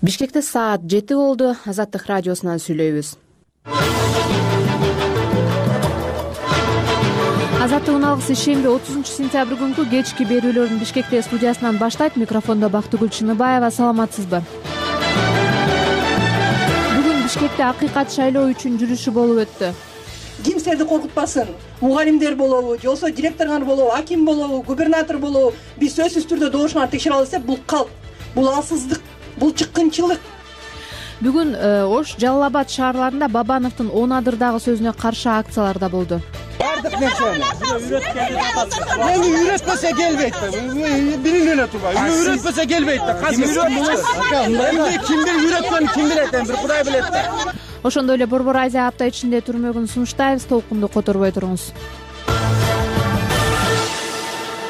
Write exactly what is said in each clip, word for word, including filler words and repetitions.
Бишкекте саат жети болду. Азаттык радиосунан сүйлөйбүз. Азаттыктын алгысы шемби отузунчу сентябрь күнкү кечки берүүлөрүн Бишкекте студиясынан баштайт. Микрофондо Бактыгүл Чыныбаева. Саламатсызбы? Бүгүн Бишкекте акыйкат шайлоо үчүн жүрүшү болуп өттү. Кимсерди коркутпасын. Мугалимдер болобу, же болбосо директорлор болобу, аким болобу, губернатор болобу, биз сөзсүз түрдө добушуңарды текшере алабыз деп, бул калп, бул алсыздык, бул чыккынчылык. Бүгүн Ош, Жалал абад шаарларында Бабановдун он адырдагы сөзүнө каршы акциялар да болду. Бардык нерсени эми үйрөтпөсө келбейт да. Билип эле турбайбы. Үйрөтпөсө келбейт да. Эми кимдир үйрөткөнүн ким билет, эми бир Кудай билет да. Ошондой эле Борбор Азия апта ичинде түрмөгүн сунуштайбыз. Толкунду которбой туруңуз.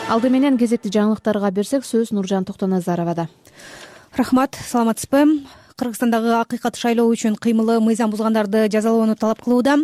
Алды менен кезекти жаңылыктарга берсек, сөз Нуржан Токтоназаровада. Рахмат, саламатсызбы? Кыргызстандагы акыйкат шайлоо үчүн кыймылы мыйзам бузгандарды жазалоону талап кылууда.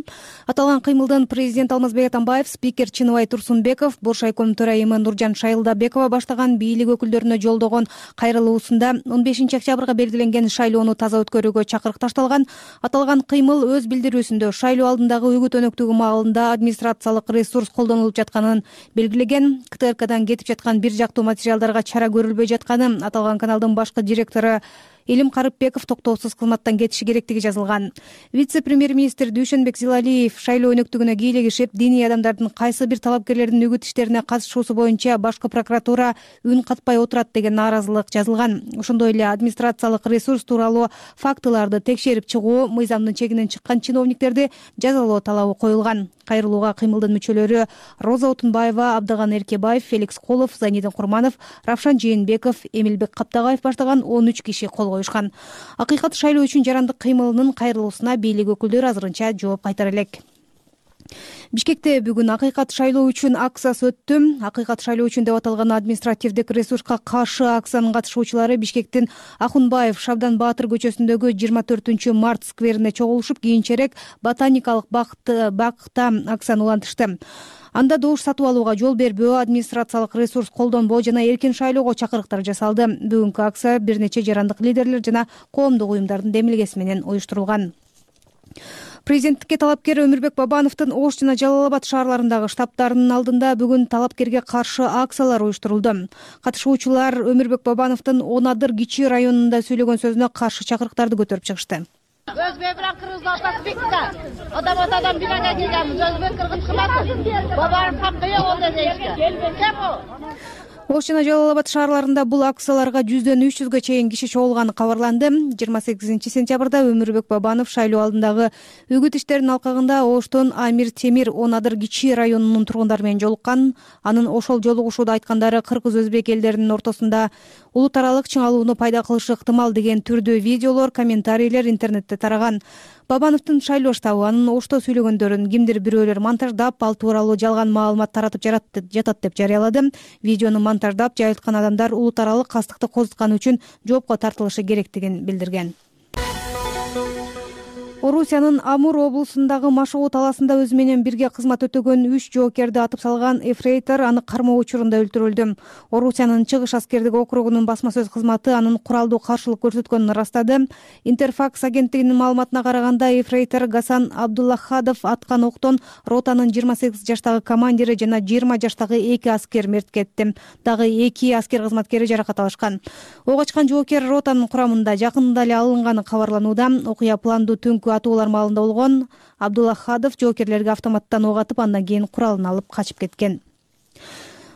Аталган кыймылдын президент Алмазбек Атамбаев, спикер Чыныбай Турсунбеков, Боршайком төрайымы Нуржан Шайылдабекова баштаган бийлик өкүлдөрүнө жолдогон кайрылуусунда он бешинчи октябрга белгиленген шайлоону таза өткөрүүгө чакырык ташталган. Аталган кыймыл өз билдирүүсүндө шайлоо алдындагы үгүт өнөктүгү маалында администрациялык ресурс колдонулуп жатканын белгилеген. КТРКдан кетип жаткан бир жактуу материалдарга чара көрүлбөй жатканы, аталган каналдын башкы директору Илим Карыпбеков токтоосуз кызматтан кетиши керектиги жазылган. Вице-премьер-министр Дүйшөнбек Зилалиев шайлоо өнөктүгүнө кийлигишип, диний адамдардын кайсы бир талапкерлердин үгүт иштерине катышуусу боюнча башкы прокуратура үн катпай отурат деген нааразылык жазылган. Ошондой эле администрациялык ресурс тууралуу фактыларды текшерип чыгуу, мыйзамдын чегинен чыккан чиновниктерди жазалоо талабы коюлган. Кайрылууга кыймылдын мүчөлөрү Роза Отунбаева, Абдыган Эркебаев, Феликс Колов, Зайнидин Курманов, Равшан Жээнбеков, Эмилбек Каптагаев баштаган он үч киши кол коюшкан. Акыйкат шайлоо үчүн жарандык кыймылынын кайрылуусуна бийлик өкүлдөрү азырынча жооп кайтара элек. Бишкекте бүгүн акыйкат шайлоо үчүн акциясы өттү. Акыйкат шайлоо үчүн деп аталган административдик ресурска каршы акциянын катышуучулары Бишкектин Ахунбаев, Шабдан Баатыр көчөсүндөгү жыйырма төртүнчү март скверине чогулушуп, кийинчерээк Ботаникалык бакта акцияны улантышты. Анда добуш сатып алууга жол бербөө, администрациялык ресурс колдонбоо жана эркин шайлоого чакырыктар жасалды. Бүгүнкү акция бир нече жарандык лидерлер жана коомдук уюмдардын демилгеси менен уюштурулган. Президенттикке талапкер Өмүрбек Бабановдун Ош жана Жалал абад шаарларындагы штабтарынын алдында бүгүн талапкерге каршы акциялар уюштурулду. Катышуучулар Өмүрбек Бабановдун он адыр Кичи районунда сүйлөгөн сөзүнө каршы чакырыктарды көтөрүп чыгышты. Өзбек менен кыргыздын ортасы бекиткен. Адам атадан бирге келгенбиз. Өзбек кыргыз кымбат. Бабанов хакы жок онда дейишкен. Кем о? Ош жана Жалал абад шаарларында бул акцияларга жүздөн үч жүзгө чейин киши чогулганы кабарланды. жыйырма сегизинчи сентябрда Өмүрбек Бабанов шайлоо алдындагы үгүт иштеринин алкагында Оштон Амир Темир он адыр Кичи районунун тургундары менен жолуккан. Анын ошол жолугушууда айткандары кыргыз-өзбек элдеринин ортосунда улут аралык чыңалууну пайда кылышы ыктымал деген түрдө видеолор, комментарийлер интернетте тараган. Бабановдун шайлоо штабы анын Ошто сүйлөгөндөрүн кимдир бирөөлөр монтаждап, ал тууралуу жалган маалымат таратып жатат деп жарыялады. Видеону монтаждап жайылткан адамдар улут аралык кастыкты козутканы үчүн жоопко тартылышы керектигин билдирген. Орусиянын Амур облусундагы Машоо талаасында өзү менен бирге кызмат өтөгөн үч жоокерди атып салган эфрейтор аны кармоо учурунда өлтүрүлдү. Орусиянын Чыгыш аскердик округунун басма сөз кызматы анын куралдуу каршылык көрсөткөнүн ырастады. Интерфакс агенттигинин маалыматына караганда, эфрейтор Гасан Абдуллахадов аткан октон ротанын жыйырма сегиз жаштагы командири жана жыйырма жаштагы эки аскер мерт кетти. Дагы эки аскер кызматкери жаракат алышкан. Ок ачкан жоокер ротанын курамында жакында эле алынганы кабарланууда. Окуя пландуу түнкү атуулар маалында болгон. Абдуллахадов жоокерлерге автоматтан ок атып, андан кийин куралын алып качып кеткен.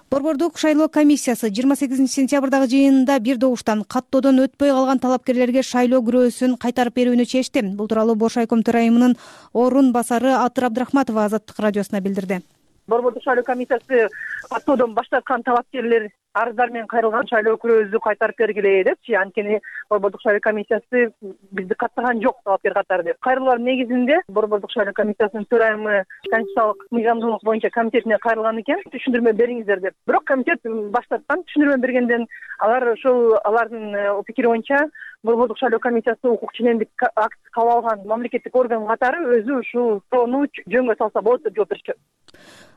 Борбордук шайлоо комиссиясы жыйырма сегизинчи сентябрдагы жыйынында бир добуштан каттоодон өтпөй калган талапкерлерге шайлоо күрөөсүн кайтарып берүүнү чечти. Бул тууралуу Боршайком төрайымынын орун басары Атыр Абдрахматова Азаттык радиосуна билдирди. Борбордук шайлоо комиссиясы каттоодон баш тарткан талапкерлер арыздар менен кайрылган шайлоо күрөөбүздү кайтарып бергиле депчи. Анткени Борбордук шайлоо комиссиясы бизди каттаган жок талапкер катары деп. Кайрылуулар негизинде Борбордук шайлоо комиссиясынын төрайымы конституциялык мыйзамдуулук боюнча комитетине кайрылган экен. Түшүндүрмө бериңиздер деп. Бирок комитет баш тарткан. Түшүндүрмө бергенден алар ошол алардын пикири боюнча Борбордук шайлоо комиссиясы укук ченемдик акт кабыл алган мамлекеттик орган катары өзү ушул соону жөнгө салса болот деп жооп беришкен.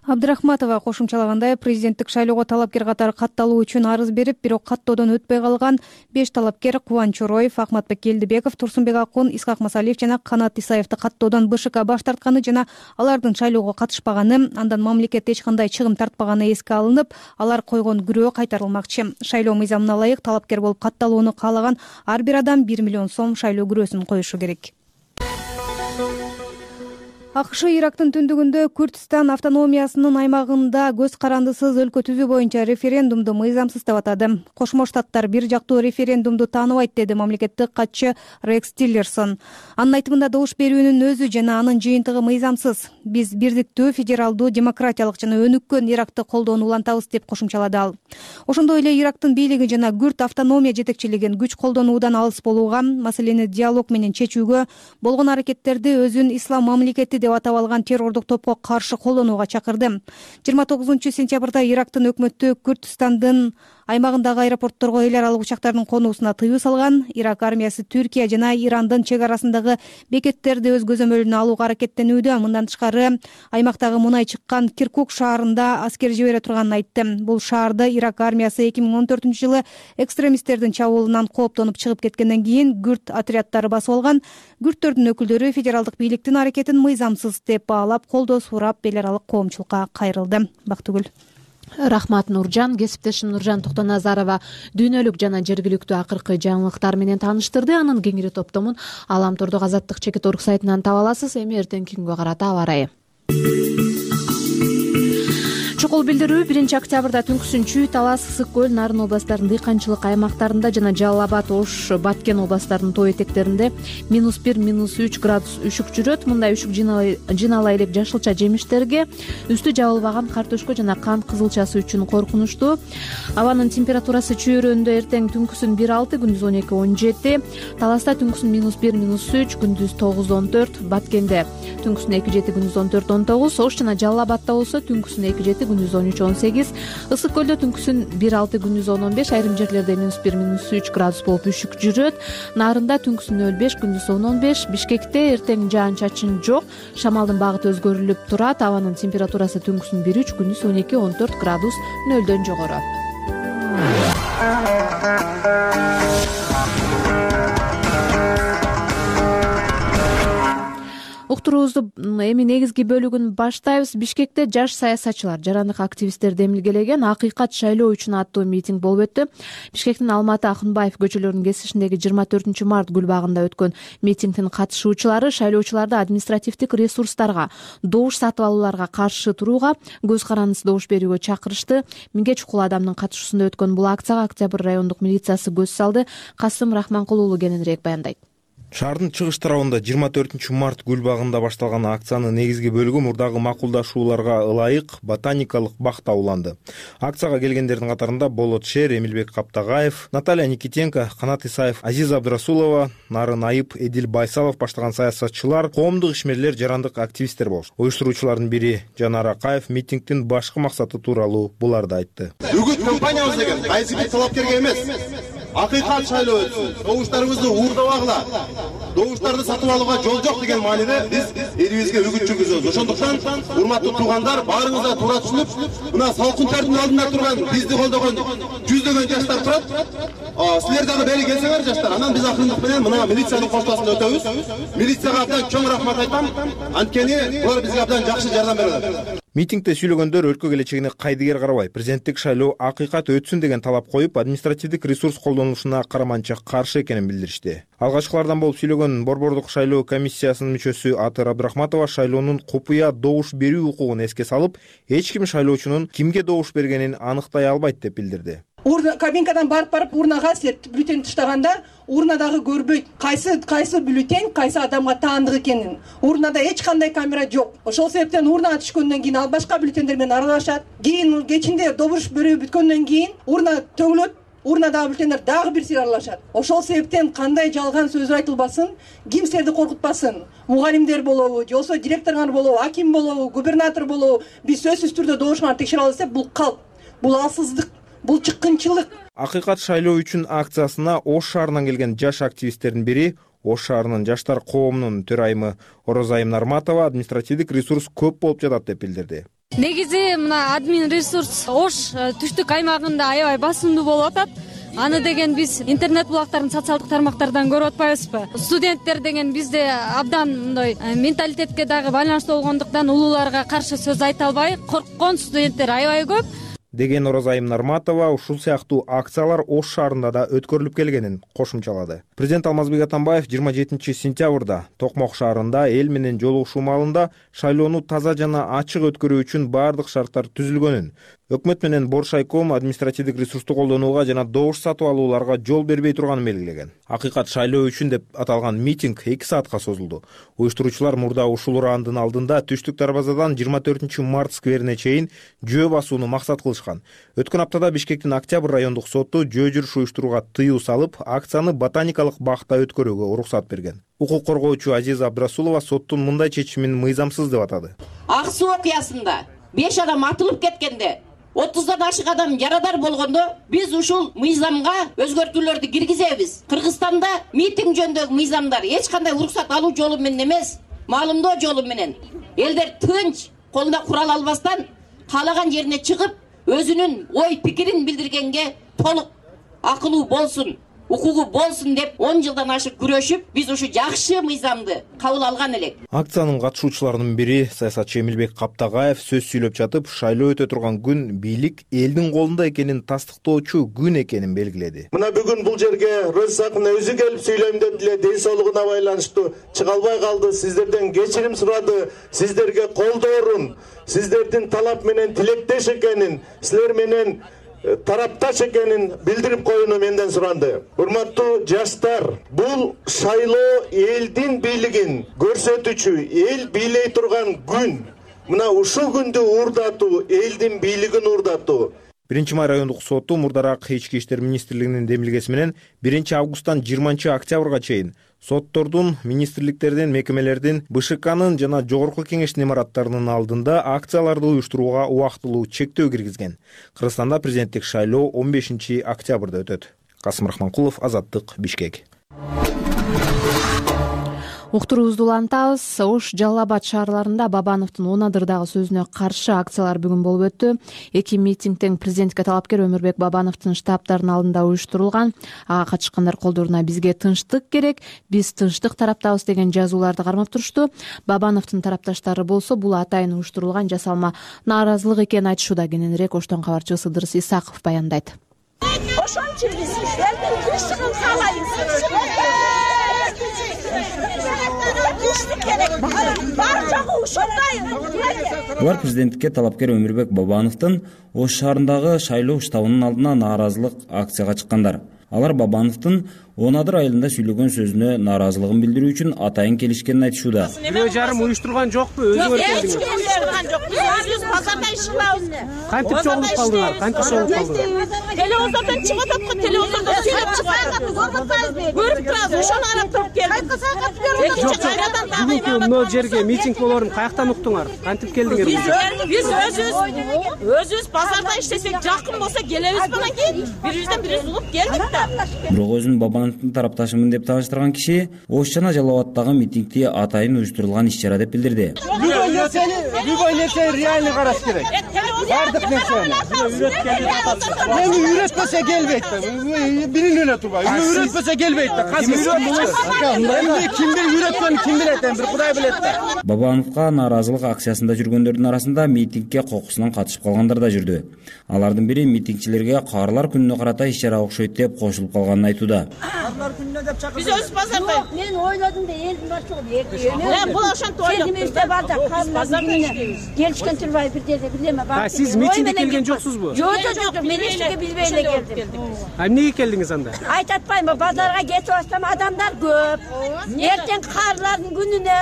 Абдрахматова кошумчалагандай, президенттик шайлоого талапкер катары катталуу үчүн арыз берип, бирок каттоодон өтпөй калган беш талапкер Кубан Чороев, Акматбек Келдибеков, Турсунбек Акун, Исхак Масалиев жана Канат Исаевди каттоодон БШК баш тартканы жана алардын шайлоого катышпаганы, андан мамлекет эч кандай чыгым тартпаганы эске алынып, алар койгон күрөө кайтарылмакчы. Шайлоо мыйзамына ылайык талапкер болуп катталууну каалаган ар бир адам бир миллион сом шайлоо күрөөсүн коюшу керек. АКШ Ирактын түндүгүндө Күрдстан автономиясынын аймагында көз карандысыз өлкө түзүү боюнча референдумду мыйзамсыз деп атады. Кошмо Штаттар бир жактуу референдумду тааныбайт, деди мамлекеттик катчы Рекс Тиллерсон. Анын айтымында добуш берүүнүн өзү жана анын жыйынтыгы мыйзамсыз. Биз бирдиктүү, федералдуу, демократиялык жана өнүккөн Иракты колдоону улантабыз, деп кошумчалады ал. Ошондой эле Ирактын бийлиги жана Күрд автономия жетекчилигин күч колдонуудан алыс болууга, маселени диалог менен чечүүгө, болгон аракеттерди өзүн ислам мамлекети деп атап алган террордук топко каршы колдонууга чакырды. жыйырма тогузунчу сентябрда Ирактын өкмөтү Күрдстандын аймагындагы аэропортторго эл аралык учактардын конуусуна тыюу салган. Ирак армиясы Түркия жана Ирандын чек арасындагы бекеттерди өз көзөмөлүнө алууга аракеттенүүдө. Мындан тышкары, аймактагы мунай чыккан Киркук шаарында аскер жибере турганын айтты. Бул шаарды Ирак армиясы эки миң он төртүнчү жылы экстремисттердин чабуулунан кооптонуп чыгып кеткенден кийин күрд отряддары басып алган. Күрдтөрдүн өкүлдөрү федералдык бийликтин аракетин мыйзамсыз деп баалап, колдоо сурап, эл аралык коомчулукка кайрылды. Бактыгүл. Рахмат Нуржан. Кесиптешим Нуржан Токтоназарова дүйнөлүк жана жергиликтүү акыркы жаңылыктар менен тааныштырды. Анын кеңири топтомун Аламтордук Азаттык чекит орг сайтынан таба аласыз. Эми эртеңки күнгө карата аба ырайы. Чукул билдирүү биринчи октябрда түнкүсүнчү Талас, Ысык көл, Нарын областарынын дыйканчылык аймактарында жана Жалал Абад, Ош, Баткен областарынын тоо этектеринде минус бир, минус үч градус үшүк жүрөт. Мындай үшүк жыйнала элек жашылча жемиштерге, үстү жабылбаган картошко жана кант кызылчасы үчүн коркунучтуу. Абанын температурасы чөйрөндө эртең түнкүсүн бир алты, күндүз он эки он жети, Таласта түнкүсүн минус бир, минус үч, күндүз тогуз он төрт, Баткенде түнкүсүн эки жети, күндүз он төрт он тогуз, Ош жана Жалал Абадта болсо түнкүсүн эки жети, күндүз он үч он сегиз, Ысык көлдө түнкүсүн бир алты, күндүз он он беш, айрым жерлерде минус бир, минус үч градус болуп үшүк жүрөт. Нарында түнкүсүн нөл беш, күндүз он он беш, Бишкекте эртең жаан чачын жок, шамалдын багыты өзгөрүлүп турат. Абанын температурасы түнкүсүн бир үч, күндүз он эки он төрт градус нөлдөн жогору. Уктуруубузду эми негизги бөлүгүн баштайбыз. Бишкекте жаш саясатчылар, жарандык активисттерди эмилгелеген акыйкат шайлоо үчүн аттуу митинг болуп өттү. Бишкектин Алматы, Акынбаев көчөлөрүнүн кесишиндеги жыйырма төртүнчү март гүл багында өткөн митингдин катышуучулары шайлоочуларды административдик ресурстарга, добуш сатып алууларга каршы турууга, көз карандысыз добуш берүүгө чакырышты. Миңге чукул адамдын катышуусунда өткөн бул акцияга Октябрь райондук милициясы көз салды. Касым Рахманкул уулу кененирээк баяндайт. Шаардын чыгыш тарабында жыйырма төртүнчү март гүл багында башталган акциянын негизги бөлүгү мурдагы макулдашууларга ылайык ботаникалык бакта уланды. Акцияга келгендердин катарында Болот Шер, Эмилбек Каптагаев, Наталья Никитенко, Канат Исаев, Азиза Абдрасулова, Нарын Айып, Эдил Байсалов баштаган саясатчылар, коомдук ишмерлер, жарандык активисттер болуш. Уюштуруучулардын бири Жанар Акаев митингдин башкы максаты тууралуу буларды айтты. Бүгүн компаниябыз деген кайсы бир талапкерге эмес, акыйкат шайлоо өтсүн, добуштарыбызды уурдабагыла, добуштарды сатып алууга жол жок деген мааниде биз элибизге үгүт жүргүзөбүз. Ошондуктан урматтуу туугандар, баарыңыз да туура түшүнүп, мына салкын тердин алдында турган бизди колдогон жүздөгөн жаштар турат. Силер дагы бери келсеңер жаштар, анан биз акырындык менен мына милициянын коштосуна өтөбүз. Милицияга абдан чоң рахмат айтам, анткени булар бизге абдан жакшы жардам берет. Митингде сүйлөгөндөр өлкө келечегине кайдыгер карабай, президенттик шайлоо акыйкат өтсүн деген талап коюп, административдик ресурс колдонулушуна караманча каршы экенин билдиришти. Алгачкылардан болуп сүйлөгөн Борбордук шайлоо комиссиясынын мүчөсү Атыр Абдрахматова шайлоонун купуя добуш берүү укугун эске салып, эч ким шайлоочунун кимге добуш бергенин аныктай албайт деп билдирди. Урна кабинкадан барып барып урнага силер бюллетень таштаганда урнадагы көрбөйт кайсы кайсы бюллетень кайсы адамга таандык экенин. Урнада эч кандай камера жок. Ошол себептен урнага түшкөндөн кийин ал башка бюллетендер менен аралашат. Кийин кечинде добуш берүү бүткөндөн кийин урна төңүлөт, урнадагы бюллетендер дагы бир сыйра аралашат. Ошол себептен кандай жалган сөз айтылбасын, ким силерди коркутпасын. Мугалимдер болобу, же болбосо директоруңар болобу, аким болобу, губернатор болобу, биз сөзсүз түрдө добушуңарды текшере алабыз деп бул калп, бул алсыздык. Бул чыккынчылык. Акыйкат шайлоо үчүн акциясына Ош шаарынан келген жаш активисттердин бири, Ош шаарынын жаштар коомунун төрайымы Орозайым Нарматова административдик ресурс көп болуп жатат деп билдирди. Негизи мына админ ресурс Ош түштүк аймагында аябай басымдуу болуп атат. Аны деген биз интернет булактарын социалдык тармактардан көрүп атпайбызбы? Студенттер деген бизде абдан мындай менталитетке дагы байланыштуу болгондуктан улууларга каршы сөз айта албай корккон студенттер аябай көп деген Оразайым Нарматова ушул сыяктуу акциялар Ош шаарында да өткөрүлүп келгенин кошумчалады. Президент Алмазбек Атамбаев жыйырма жетинчи сентябрда Токмок шаарында эл менен жолугушуу маалында шайлоону таза жана ачык өткөрүү үчүн баардык шарттар түзүлгөнүн, өкмөт менен Боршайком административдик ресурсту колдонууга жана добуш сатып алууларга жол бербей турганын белгилеген. Акыйкат шайлоо үчүн деп аталган митинг эки саатка созулду. Уюштуруучулар мурда ушул ураандын алдында Түштүк дарбазадан жыйырма төртүнчү март скверине чейин жөө басууну максат кылышкан. Өткөн аптада Бишкектин Октябрь райондук соту жөө жүрүш уюштурууга тыюу салып, акцияны ботаникалык бакта өткөрүүгө уруксат берген. Укук коргоочу Азиза Абдрасулова соттун мындай чечимин мыйзамсыз деп атады. Ак суу окуясында беш адам атылып кеткенде, отуздан ашык адам жарадар болгондо биз ушул мыйзамга өзгөртүүлөрдү киргизебиз. Кыргызстанда митинг жөнүндөгү мыйзамдар эч кандай уруксат алуу жолу менен эмес, маалымдоо жолу менен элдер тынч, колуна курал албастан каалаган жерине чыгып, өзүнүн ой пикирин билдиргенге толук акылуу болсун, укугу болсун деп он жылдан ашык күрөшүп, биз ушу жакшы мыйзамды кабыл алган элек. Акциянын катышуучуларынын бири саясатчы Эмилбек Каптагаев сөз сүйлөп жатып, шайлоо өтө турган күн бийлик элдин колунда экенин тастыктоочу күн экенин белгиледи. Мына бүгүн бул жерге Розисакына өзү келип сүйлөйм деп эле ден соолугуна байланыштуу чыга албай калды. Сиздерден кечирим сурады. Сиздерге колдоорун, сиздердин талап менен тилектеш экенин, силер менен тарапташ экенин билдирип коюуну менден суранды. Урматтуу жаштар, бул шайлоо элдин бийлигин көрсөтүүчү, эл бийлей турган күн. Мына ушул күндү уурдатуу, элдин бийлигин уурдатуу. биринчи май райондук соту мурдараак Ички иштер министрлигинин демилгеси менен биринчи августтан жыйырманчы октябрга чейин соттордун, министрликтердин, мекемелердин, Бэ Ш Кнын жана Жогорку кеңештин имараттарынын алдында акцияларды уюштурууга убактылуу чектөө киргизген. Кыргызстанда президенттик шайлоо он бешинчи октябрда өтөт. Касым Рахманкулов, Азаттык, Бишкек. Уктуруубузду улантабыз. Ош, Жалал Абад шаарларында Бабановдун он адырдагы сөзүнө каршы акциялар бүгүн болуп өттү. Эки митинг тең президентке талапкер Өмүрбек Бабановдун штабтарынын алдында уюштурулган. Ага катышкандар колдоруна бизге тынчтык керек, биз тынчтык тараптабыз деген жазууларды кармап турушту. Бабановдун тарапташтары болсо бул атайын уюштурулган жасалма нааразылык экенин айтышууда. Кененирээк Оштон кабарчыбыз Ыдырыс Исаков баяндайт. Ошон үчүн биз элдин тынчтыгын каалайбыз. Булар президенттикке талапкер Өмүрбек Бабановдун Ош шаарындагы шайлоо штабынын алдына нааразылык акцияга чыккандар. Алар Бабановдун он адыр айылында сүйлөгөн сөзүнө нааразылыгын билдирүү үчүн атайын келишкенин айтышууда. Бирөө жарым уюштурган жокпу? Өзү келдиңиз? Эч ким уюштурган жок. Биз өзүбүз базарда иш кылабыз. Кантип чогулуп калдыңар? Кантип чогулуп калдыңар? Телевизордон чыгып атат го, телевизордон сүйлөп чыгат. Көрүп турабыз, ошону карап туруп келдик. Бүгүнкү мына жерге митинг болорун каяктан уктуңар? Кантип келдиңер? Биз өзүбүз өзүбүз базарда иштесек, жакын болсо келебиз менен кийин бирибизден бирибиз угуп келдик да. Бирок өзүн Бабановдун тарапташымын деп тааныштырган киши Ош жана Жалал Абадтагы митингди атайын уюштурулган иш-чара деп билдирди. Любой нерсени, любой нерсени реально караш керек. Бардык нерсени. Үйрөткенди атасыз. Эми үйрөтпөсө келбейт да. Бирин эле турбай. Үйрөтпөсө келбейт да. Казыр эмне кимдир үйрөткөнүн ким билет, эми бир Кудай билет да. Бабановго нааразылык акциясында жүргөндөрдүн арасында митингге кокусунан катышып калгандар да жүрдү. Алардын бири митингчилерге Каарлар күнүнө карата иш-чара окшойт деп кошулуп калганын айтууда. Каарлар күнүнө деп чакырды. Биз өз базарда. Мен ойлодум да элдин башчылыгы эртең. Мен бул ошентип ойлоп турдум. Бар да Каарлар күнүнө келишкен турбай бир жерде билеме бар. А сиз митингге келген жоксузбу? Жок, жок, мен эч нерсе билбей эле келдим. А эмнеге келдиңиз анда? Айтып атпаймынбы, базарга кетип атсам адамдар көп. Эртең Каарлардын күнүнө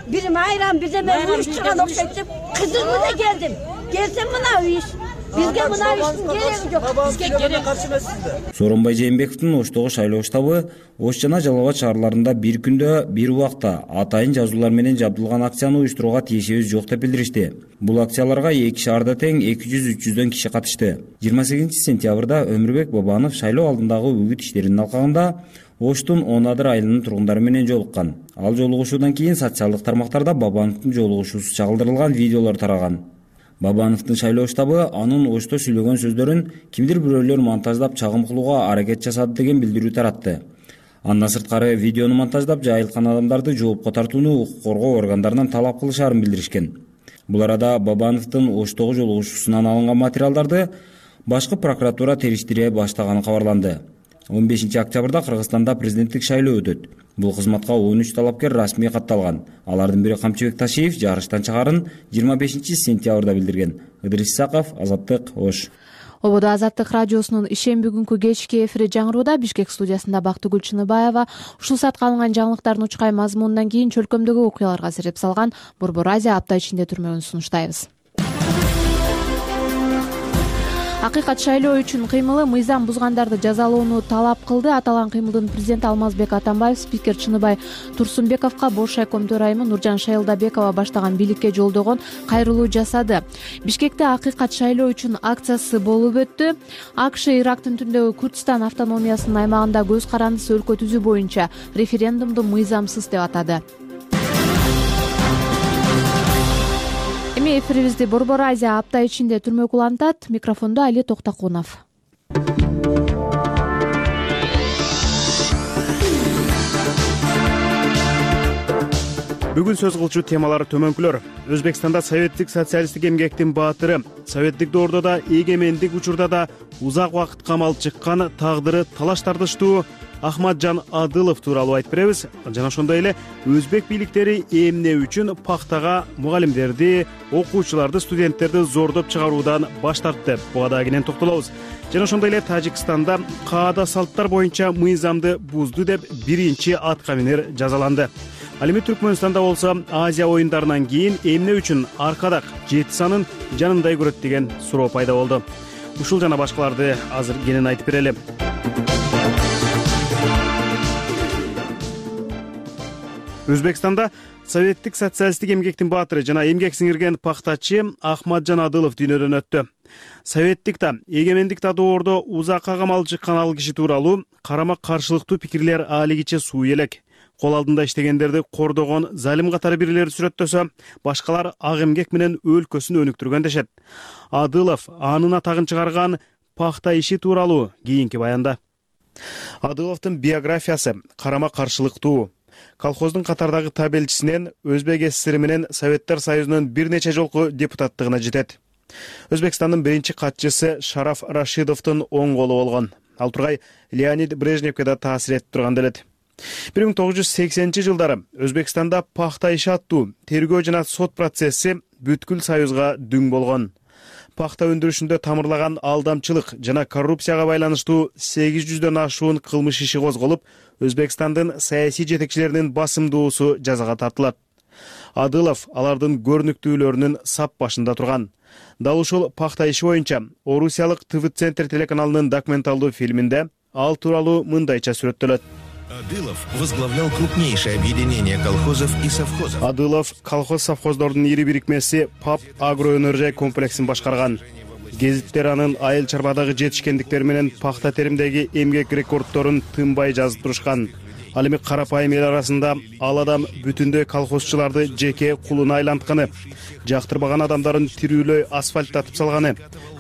бирим айран, бирдеме уюштурган окшойт деп кызык менен келдим. Келсем мына иш. Бизге мына иштин кереги жок. Бизге керек каршы эмессизби? Сооронбай Жээнбековдун Оштогу шайлоо штабы Ош жана Жалал Абад шаарларында бир күндө, бир убакта атайын жазуулар менен жабдылган акцияны уюштурууга тиешебиз жок деп билдиришти. Бул акцияларга эки шаарда тең эки жүз үч жүздөн киши катышты. жыйырма сегизинчи сентябрда Өмүрбек Бабанов шайлоо алдындагы үгүт иштеринин алкагында Оштун он адыр айылынын тургундары менен жолуккан. Ал жолугушуудан кийин социалдык тармактарда Бабановдун жолугушуусу чагылдырылган видеолор тараган. Бабановдун шайлоо штабы анын ошто сүйлөгөн сөздөрүн кимдир бирөөлөр монтаждап чагым кылууга аракет жасады деген билдирүү таратты. Андан сырткары видеону монтаждап жайылткан адамдарды жоопко тартууну укук коргоо органдарынан талап кылышаарын билдиришкен. Бул арада Бабановдун Оштогу жолугушуусунан алынган материалдарды башкы прокуратура териштире баштаганы кабарланды. он бешинчи октябрда Кыргызстанда президенттик шайлоо өтөт. Бул кызматка он үч талапкер расмий катталган. Алардын бири Камчыбек Ташиев жарыштан чыгарын жыйырма бешинчи сентябрда билдирген. Ыдырис Исаков, Азаттык, Ош. Ободо Азаттык радиосунун ишемби күнкү кечки эфири жаңырууда. Бишкек студиясында Бактыгүл Чыныбаева. Ушул саатка алынган жаңылыктардын учкай мазмунунан кийин чөлкөмдөгү окуяларга сереп салган Борбор Азия апта ичинде түрмөгүн сунуштайбыз. Акыйкат шайлоо үчүн кыймылы мыйзам бузгандарды жазалоону талап кылды. Аталган кыймылдын президенти Алмазбек Атамбаев спикер Чыныбай Турсунбековго Бош шайком төрайымы Нуржан Шайылдабекова баштаган бийликке жолдогон кайрылуу жасады. Бишкекте акыйкат шайлоо үчүн акциясы болуп өттү. АКШ Ирактын түндөгү Курдистан автономиясынын аймагында көз карандысы өлкө түзүү боюнча референдумду мыйзамсыз деп атады. Эми эфирибизди Борбор Азия апта ичинде түрмөк улантат. Микрофондо Али Токтокунов. Бүгүн сөз кылчу темалар төмөнкүлөр. Өзбекстанда советтик социалисттик эмгектин баатыры, советтик доордо да эгемендик учурда да узак убакыт камалып чыккан, тагдыры талаш тартыштуу Ахмаджан Адылов тууралуу айтып беребиз. Жана ошондой эле өзбек бийликтери эмне үчүн пахтага мугалимдерди, окуучуларды, студенттерди зордоп чыгаруудан баш тартты. Буга да кенен токтолобуз. Жана ошондой эле Тажикстанда каада салттар боюнча мыйзамды бузду деп биринчи атка минер жазаланды. Ал эми Түркмөнстанда болсо Азия оюндарынан кийин эмне үчүн аркадак жети санын жанындай көрөт деген суроо пайда болду. Ушул жана башкаларды азыр кенен айтып берели. Өзбекстанда советтик социалисттик эмгектин баатыры жана эмгек сиңирген пахтачы Ахмаджан Адылов дүйнөдөн өттү. Советтик да, эгемендик да доордо узакка камалып чыккан ал киши тууралуу карама каршылыктуу пикирлер алигиче суу элек. Кол алдында иштегендерди кордогон залим катары бирлерди сүрөттөсө, башкалар ак эмгек менен өлкөсүн өнүктүргөн дешет. Адылов анын атагын чыгарган пахта иши тууралуу кийинки баянда. Адыловдун биографиясы карама каршылыктуу. Колхоздун катардагы табелчисинен Өзбек СССР менен Советтер Союзунун бир нече жолку депутаттыгына жетет. Өзбекстандын биринчи катчысы Шараф Рашидовдун оң колу болгон. Ал тургай Леонид Брежневке да таасир этип турган делет. бир миң тогуз жүз сексенинчи жылдары Өзбекстанда пахта иши аттуу тергөө жана сот процесси бүткүл союзга дүң болгон. Пахта өндүрүшүндө тамырлаган алдамчылык жана коррупцияга байланыштуу сегиз жүздөн ашуун кылмыш иши козголуп, Өзбекстандын саясий жетекчилеринин басымдуусу жазага тартылат. Адылов алардын көрүнүктүүлөрүнүн сап башында турган. Дал ушул пахта иши боюнча Орусиялык ТВ-центр телеканалынын документалдуу фильминде ал тууралуу мындайча сүрөттөлөт. Адылов возглавлял крупнейшее объединение колхозов и совхозов. Адылов колхоз-совхоздордун ири бирикмеси ПАП агроөнөржай комплексин башкарган. Гезиттер анын айыл чарбадагы жетишкендиктери менен пахта теримдеги эмгек рекордторун тынбай жазып турушкан. Ал эми карапайым эл арасында ал адам бүтүндөй колхозчуларды жеке кулуна айлантканы, жактырбаган адамдарын тирүүлөй асфальттатып салганы,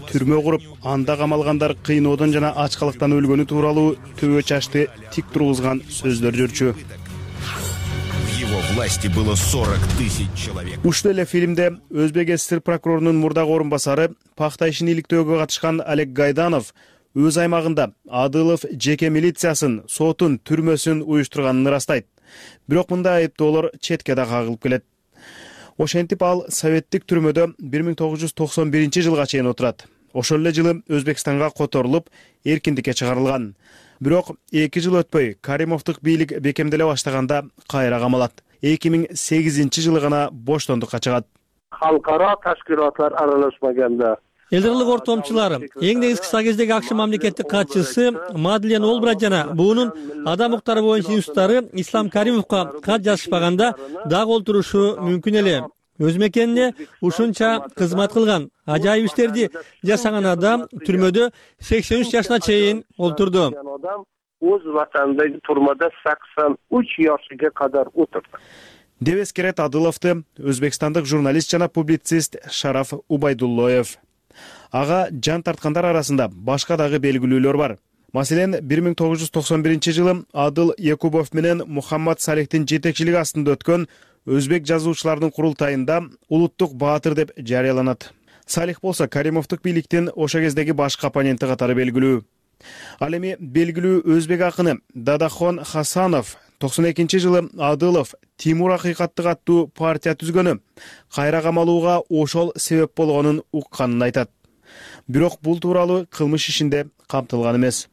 түрмө куруп, анда камалгандар кыйноодон жана ачкалыктан өлгөнү тууралуу төбө чачты тик тургузган сөздөр жүрчү. В его власти было сорок тысяч человек. Ушул эле фильмде Өзбек СССР прокурорунун мурдагы орун басары, пахта ишин иликтөөгө катышкан Олег Гайданов өз аймагында Адылов жеке милициясын, сотун, түрмөсүн уюштурганын ырастайт. Бирок мындай айыптоолор четке да кагылып келет. Ошентип ал советтик түрмөдө бир миң тогуз жүз токсон биринчи жылга чейин отурат. Ошол эле жылы Өзбекстанга которулуп, эркиндикке чыгарылган. Бирок эки жыл өтпөй Каримовдук бийлик бекемделе баштаганда кайра камалат. эки миң сегизинчи жылы гана боштондукка чыгат. Халкара ташкилатлар аралашмаганда Элдирлик ортомчулар, эң негизги кыска кездеги АКШ мамлекеттик катчысы Мадлен Олбрайт жана буунун адам укуктары боюнча институттары Ислам Каримовго кат жазышпаганда дагы олтурушу мүмкүн эле. Өз мекенине ушунча кызмат кылган, ажайып иштерди жасаган адам түрмөдө сексен үч жашына чейин олтурду. Өз ватанындагы турмада сексен үч жашыга кадар отурду. деп эскерет Адыловду өзбекстандык журналист жана публицист Шараф Убайдуллоев. Ага жан тарткандар арасында башка дагы белгилүүлөр бар. Маселен, бир миң тогуз жүз токсон биринчи жылы Адыл Якубов менен Мухаммад Салихтин жетекчилиги астында өткөн өзбек жазуучуларынын курултайында улуттук баатыр деп жарыяланат. Салих болсо Каримовдук бийликтин ошо кездеги башкы оппоненти катары белгилүү. Ал эми белгилүү өзбек акыны Дадахон Хасанов токсон экинчи жылы Адылов Тимур Акыйкаттык аттуу партия түзгөнү кайра камалууга ошол себеп болгонун укканын айтат. Бирок бул тууралуу кылмыш ишинде камтылган эмес.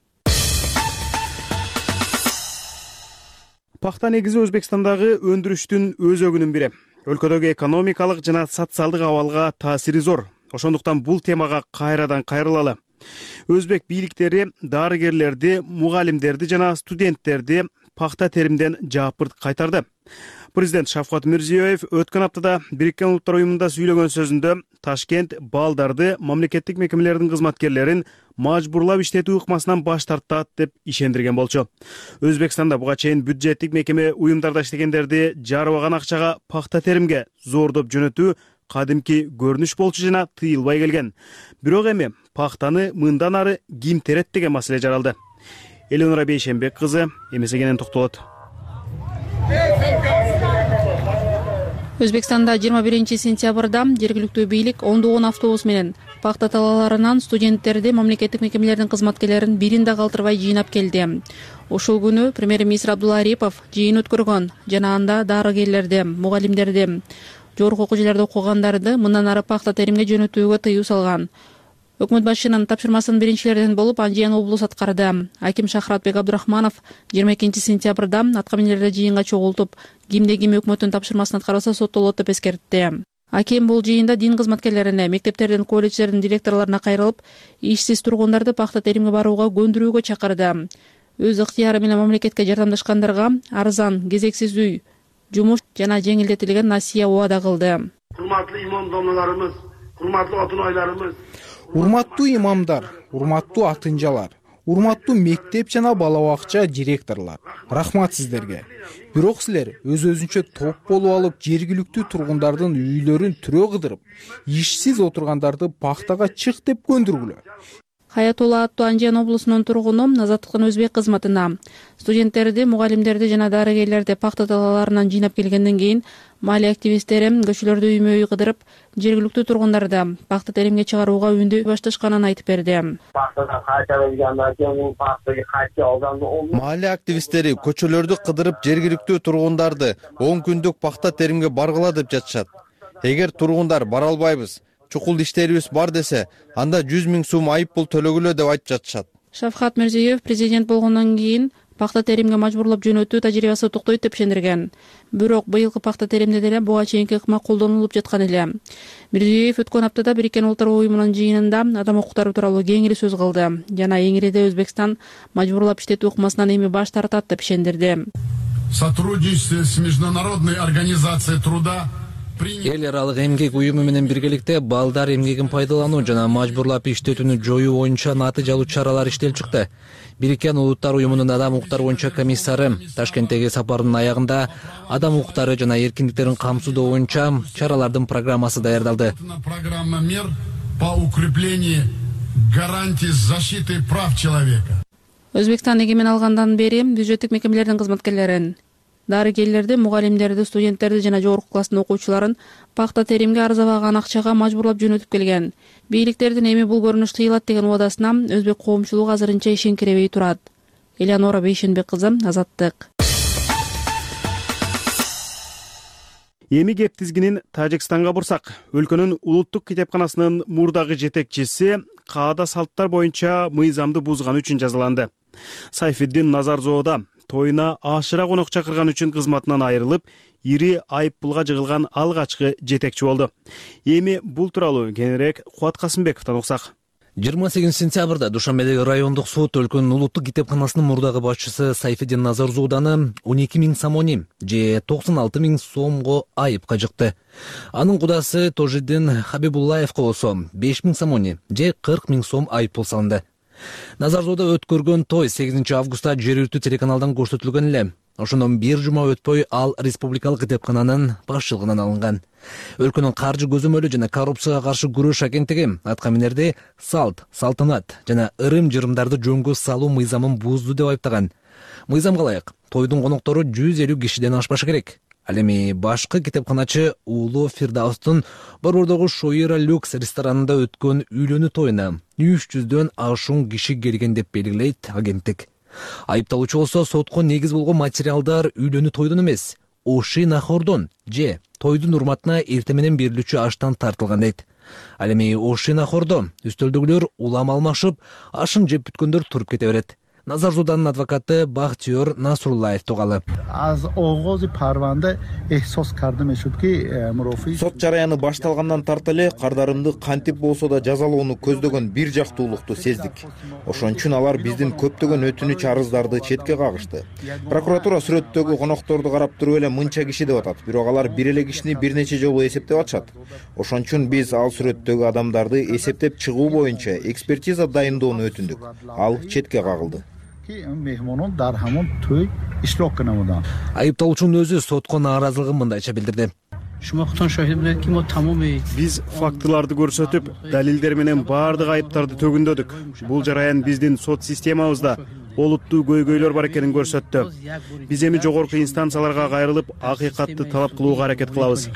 Пахта негизи Өзбекстандагы өндүрүштүн өзөгүнүн бири. Өлкөдөгү экономикалык жана социалдык абалга таасири зор. Ошондуктан бул темага кайрадан кайрылалы. Өзбек бийликтери дарыгерлерди, мугалимдерди жана студенттерди пахта теримден жаапырт кайтарды. Президент Шавкат Мирзиёев өткөн аптада Бириккен Улуттар уюмунда сүйлөгөн сөзүндө Ташкент балдарды мамлекеттик мекемелердин кызматкерлерин мажбурлап иштетүү ыкмасынан баш тартат деп ишендирген болчу. Өзбекстанда буга чейин бюджеттик мекеме уюмдарда иштегендерди жарыбаган акчага пахта теримге зордоп жөнөтүү кадимки көрүнүш болчу жана тыйылбай келген. Бирок эми пахтаны мындан ары ким терет деген маселе жаралды. Эленора Бейшенбек кызы эмесегенен токтолот. Өзбекстанда жыйырма биринчи сентябрда жергиликтүү бийлик ондогон автобус менен пахта талааларынан студенттерди мамлекеттик мекемелердин кызматкерлерин бирин да калтырбай жыйнап келди. Ошол күнү премьер-министр Абдулла Арипов жыйын өткөргөн жана анда дарыгерлерди, мугалимдерди, жогорку окуу жайларда окугандарды мындан ары пахта теримге жөнөтүүгө тыюу салган. Өкмөт башчынын тапшырмасынын биринчилеринен болуп Анжиян облус аткарды. Аким Шахратбек Абдурахманов жыйырма экинчи сентябрда аткаминерлерди жыйынга чогултуп, кимде ким өкмөттүн тапшырмасын аткарбаса соттолот деп эскертти. Аким бул жыйында дин кызматкерлерине, мектептердин, колледждердин директорлоруна кайрылып, ишсиз тургундарды пахта теримге барууга көндүрүүгө чакырды. Өз ыктыяры менен мамлекетке жардамдашкандарга арзан, кезексиз үй, жумуш жана жеңилдетилген насыя убада кылды. Урматтуу имам домналарыбыз, урматтуу отун айларыбыз, урматтуу имамдар, урматтуу атынжалар, урматтуу мектеп жана бала бакча директорлор, рахмат сиздерге. Бирок силер өз-өзүнчө топ болуп алып, жергиликтүү тургундардын үйлөрүн түрө кыдырып, ишсиз отургандарды пахтага чык деп көндүргүлө. Хаятулла аттуу Анжиян облусунун тургуну азаттыктын өзбек кызматына студенттерди, мугалимдерди жана дарыгерлерди пахта талааларынан жыйнап келгенден кийин маалия активисттери көчөлөрдө үймө-үй кыдырып, жергиликтүү тургундарды пахта теримге чыгарууга үндөй башташканын айтып берди. Маалия активисттери көчөлөрдү кыдырып, жергиликтүү тургундарды он күндүк пахта теримге баргыла деп жатышат. Эгер тургундар бара албайбыз, чукул иштерибиз бар десе, анда жүз миң сум айып пул төлөгүлө деп айтып жатышат. Шавкат Мирзиёев президент болгондон кийин пахта теримге мажбурлап жөнөтүү тажрыйбасы токтойт деп ишендирген. Бирок быйылкы пахта теримде деле буга чейинки ыкма колдонулуп жаткан эле. Мирзиёев өткөн аптада Бириккен Улуттар уюмунун жыйынында адам укуктары тууралуу кеңири сөз кылды жана эңириде Өзбекстан мажбурлап иштетүү ыкмасынан эми баш тартат деп ишендирди. Сотрудничество с международной организацией труда Эл аралык эмгек уюму менен биргеликте балдар эмгегин пайдалануу жана мажбурлап иштетүүнү жоюу боюнча натыйжалуу чаралар иштелип чыкты. Бириккен Улуттар уюмунун адам укуктары боюнча комиссары Ташкенттеги сапарынын аягында адам укуктары жана эркиндиктерин камсыздоо боюнча чаралардын программасы даярдалды. Программа мер по укреплению гарантий защиты прав человека. Өзбекстан эгемен алгандан бери бюджеттик мекемелердин кызматкерлерин, дарыгерлерди, мугалимдерди, студенттерди жана жогорку класстын окуучуларын пахта теримге арзабаган акчага мажбурлап жөнөтүп келген. Бийликтердин эми бул көрүнүш тыйылат деген убадасына өзбек коомчулугу азырынча ишенкиребей турат. Элеонора Бейшенбек кызы, Азаттык. Эми кеп тизгинин Тажикстанга бурсак, өлкөнүн улуттук китепканасынын мурдагы жетекчиси каада салттар боюнча мыйзамды бузганы үчүн жазаланды. Сайфиддин Назарзоода тоюна ашыра конок чакырган үчүн кызматынан айрылып, ири айып пулга жыгылган алгачкы жетекчи болду. Эми бул тууралуу кененирээк Кубат Касымбековдон уксак. жыйырма сегизинчи сентябрда Душанбедеги райондук сот өлкөнүн улуттук китепканасынын мурдагы башчысы Сайфиддин Назарзооданы он эки миң самони же токсон алты миң сомго айыпка жыкты. Анын кудасы Тожиддин Хабибуллаевго болсо беш миң самони же кырк миң сом айып пул салынды. Назарзоодо өткөргөн той сегизинчи августта жергиликтүү телеканалдан көрсөтүлгөн эле. Ошондон бир жума өтпөй ал республикалык китепкананын башчылыгынан алынган. Өлкөнүн каржы көзөмөлү жана коррупцияга каршы күрөш агенттиги аткаминерди салт, салтанат жана ырым-жырымдарды жөнгө салуу мыйзамын бузду деп айыптаган. Мыйзамга ылайык тойдун коноктору жүз элүү кишиден ашпашы керек. Ал эми башкы китепканачы Уулу Фирдаустун Борбордогу Шоира Люкс ресторанында өткөн үйлөнүү тоюна үч жүздөн ашуун киши келген деп белгилейт агенттик. Айыпталуучу болсо сотко негиз болгон материалдар үйлөнүү тойдун эмес, оши нахордон же тойдун урматына эртең менен берилүүчү аштан тартылган дейт. Ал эми оши нахордо үстөлдөгүлөр улам алмашып, ашын жеп бүткөндөр туруп кете берет. Назар Зуданын адвокаты Бахтиёр Насруллаев тугалы. Сот жараяны башталгандан тарта эле кардарымды кантип болсо да жазалоону көздөгөн бир жактуулукту сездик. Ошон үчүн алар биздин көптөгөн өтүнүч арыздарды четке кагышты. Прокуратура сүрөттөгү конокторду карап туруп эле мынча киши деп атат, бирок алар бир эле кишини бир нече жолу эсептеп атышат. Ошон үчүн биз ал сүрөттөгү адамдарды эсептеп чыгуу боюнча экспертиза дайындоону өтүндүк. Ал четке кагылды. Айыпталуучунун өзү сотко нааразылыгын мындайча билдирди. Биз фактыларды көрсөтүп, далилдер менен баардык айыптарды төгүндөдүк. Бул жараян биздин сот системабызда олуттуу көйгөйлөр бар экенин көрсөттү. Биз эми жогорку инстанцияларга кайрылып, акыйкатты талап кылууга аракет кылабыз.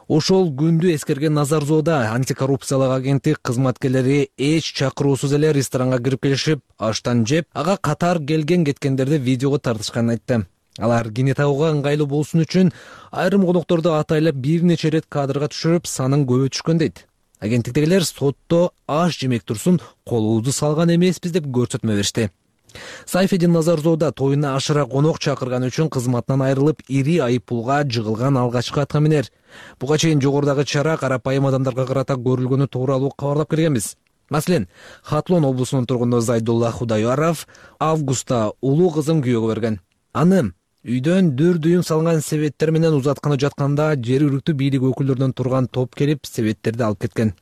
Ошол күндү эскерген Назар Зоода антикоррупциялык агенттик кызматкерлери эч чакыруусуз эле ресторанга кирип келишип, аштан жеп, ага катар келген кеткендерди видеого тартышканын айтты. Алар кине тагууга ыңгайлуу болсун үчүн айрым конокторду атайлап бир нече рет кадрга түшүрүп, санын көбөйтүшкөн түшкөн дейт. Агенттиктегилер сотто аш жемек турсун колубузду салган эмеспиз деп көрсөтмө беришти. Сайфедин Назар Зоода тоюна ашыра конок чакырган үчүн кызматынан айрылып, ири айыппулга жыгылган алгачкы аткаминер. Буга чейин жогорудагы чара карапайым адамдарга карата көрүлгөнү тууралуу кабарлап келгенбиз. Маселен, Хатлон облусунун тургуну Зайдулла Худайаров августта улуу кызын күйөөгө берген. Аны үйдөн дүр дүйүм салган себеттер менен узатканы жатканда жергиликтүү бийлик өкүлдөрүнөн турган топ келип себеттерди алып кеткен.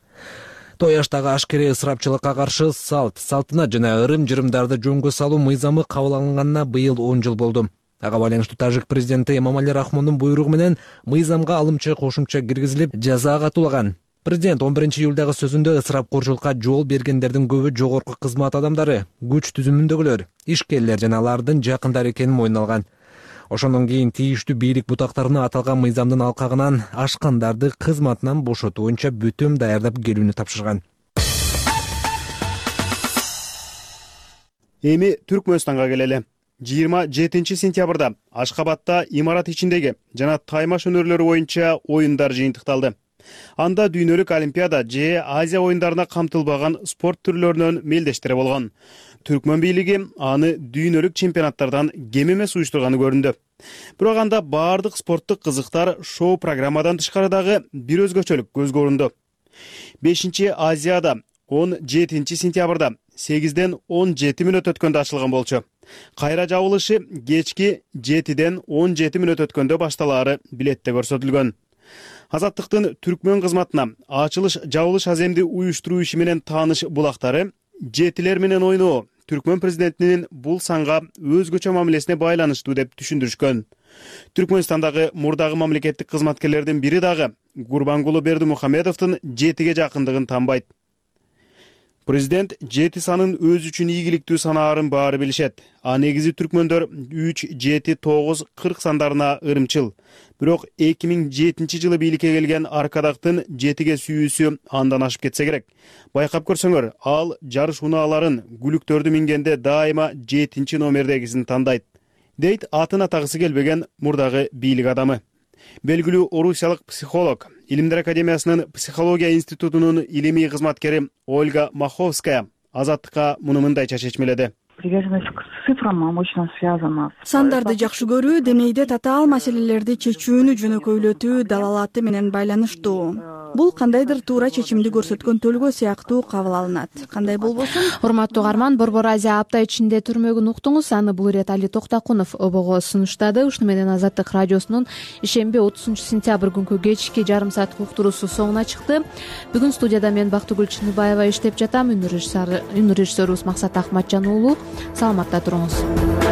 Той аштагы ашкере ысырапчылыкка каршы салт, салтанат жана ырым-жырымдарды жөнгө салуу мыйзамы кабыл алынганына быйыл он жыл болду. Ага байланыштуу Тажик президенти Эмомали Рахмондун буйругу менен мыйзамга алымча кошумча киргизилип, жаза катуулаган. Президент он биринчи июлдагы сөзүндө ысырапкорчулукка жол бергендердин көбү жогорку кызмат адамдары, күч түзүмүндөгүлөр, ишкерлер жана алардын жакындары экенин мойнуна алган. Ошондон кийин тийиштүү бийлик бутактарына аталган мыйзамдын алкагынан ашкандарды кызматынан бошотуу боюнча бүтүм даярдап келүүнү тапшырган. Эми Түркмөнстанга келели. жыйырма жетинчи сентябрда Ашкабадта имарат ичиндеги жана таймаш өнөрлөрү боюнча оюндар жыйынтыкталды. Анда дүйнөлүк олимпиада же Азия оюндарына камтылбаган спорт түрлөрүнөн мелдештери болгон. Түркмөн бийлиги аны дүйнөлүк чемпионаттардан кем эмес уюштурганы көрүндү. Бирок анда баардык спорттук кызыктар шоу программадан тышкары дагы бир өзгөчөлүк көзгө көрүндү. бешинчи Азияда он жетинчи сентябрда сегизден он жети мүнөт өткөндө ачылган болчу. Кайра жабылышы кечки жетиден он жети мүнөт өткөндө башталаары билетте көрсөтүлгөн. Азаттыктын Түркмөн кызматына ачылыш жабылыш аземди уюштуруу иши менен тааныш булактары жетилер менен ойноо Түркмөн президентинин бул санга өзгөчө мамилесине байланыштуу деп түшүндүрүшкөн. Түркмөнстандагы мурдагы мамлекеттик кызматкерлердин бири дагы Гурбангулу Бердимухамедовдун жетиге жакындыгын танбайт. Президент жети санын өз үчүн ийгиликтүү санаарын баары билишет. А негизи түркмөндөр үч, жети, тогуз, кырк сандарына ырымчыл. Бирок эки миң жетинчи жылы бийликке келген Аркадактын жетиге сүйүүсү андан ашып кетсе керек. Байкап көрсөңөр, ал жарыш унааларын, гүлүктөрдү мингенде дайыма жетинчи номердегисин тандайт, дейт атын атагысы келбеген мурдагы бийлик адамы. Белгилүү орусиялык психолог, Илимдер академиясынын психология институтунун илимий кызматкери Ольга Маховская Азаттыкка муну мындайча чечмеледи. Приверженность к цифрам мощно связана. Сандарды жакшы көрүү, демейде татаал маселелерди чечүүнү жөнөкөйлөтүү далалаты менен байланыштуу. бул кандайдыр туура чечимди көрсөткөн төлгөө сыяктуу кабыл алынат. Кандай болбосун. Урматтуу угарман, Борбор Азия апта ичинде түрмөгүн уктуңуз. Аны бул ирет Али Токтакунов обого сунуштады. Ушуну менен Азаттык радиосунун ишемби отузунчу сентябрь күнкү кечки жарым сааттык уктуруусу соңуна чыкты. Бүгүн студияда мен Бактыгүл Чыныбаева иштеп жатам. Үн режиссерубуз Максат Ахматжан уулу. Саламатта туруңуз.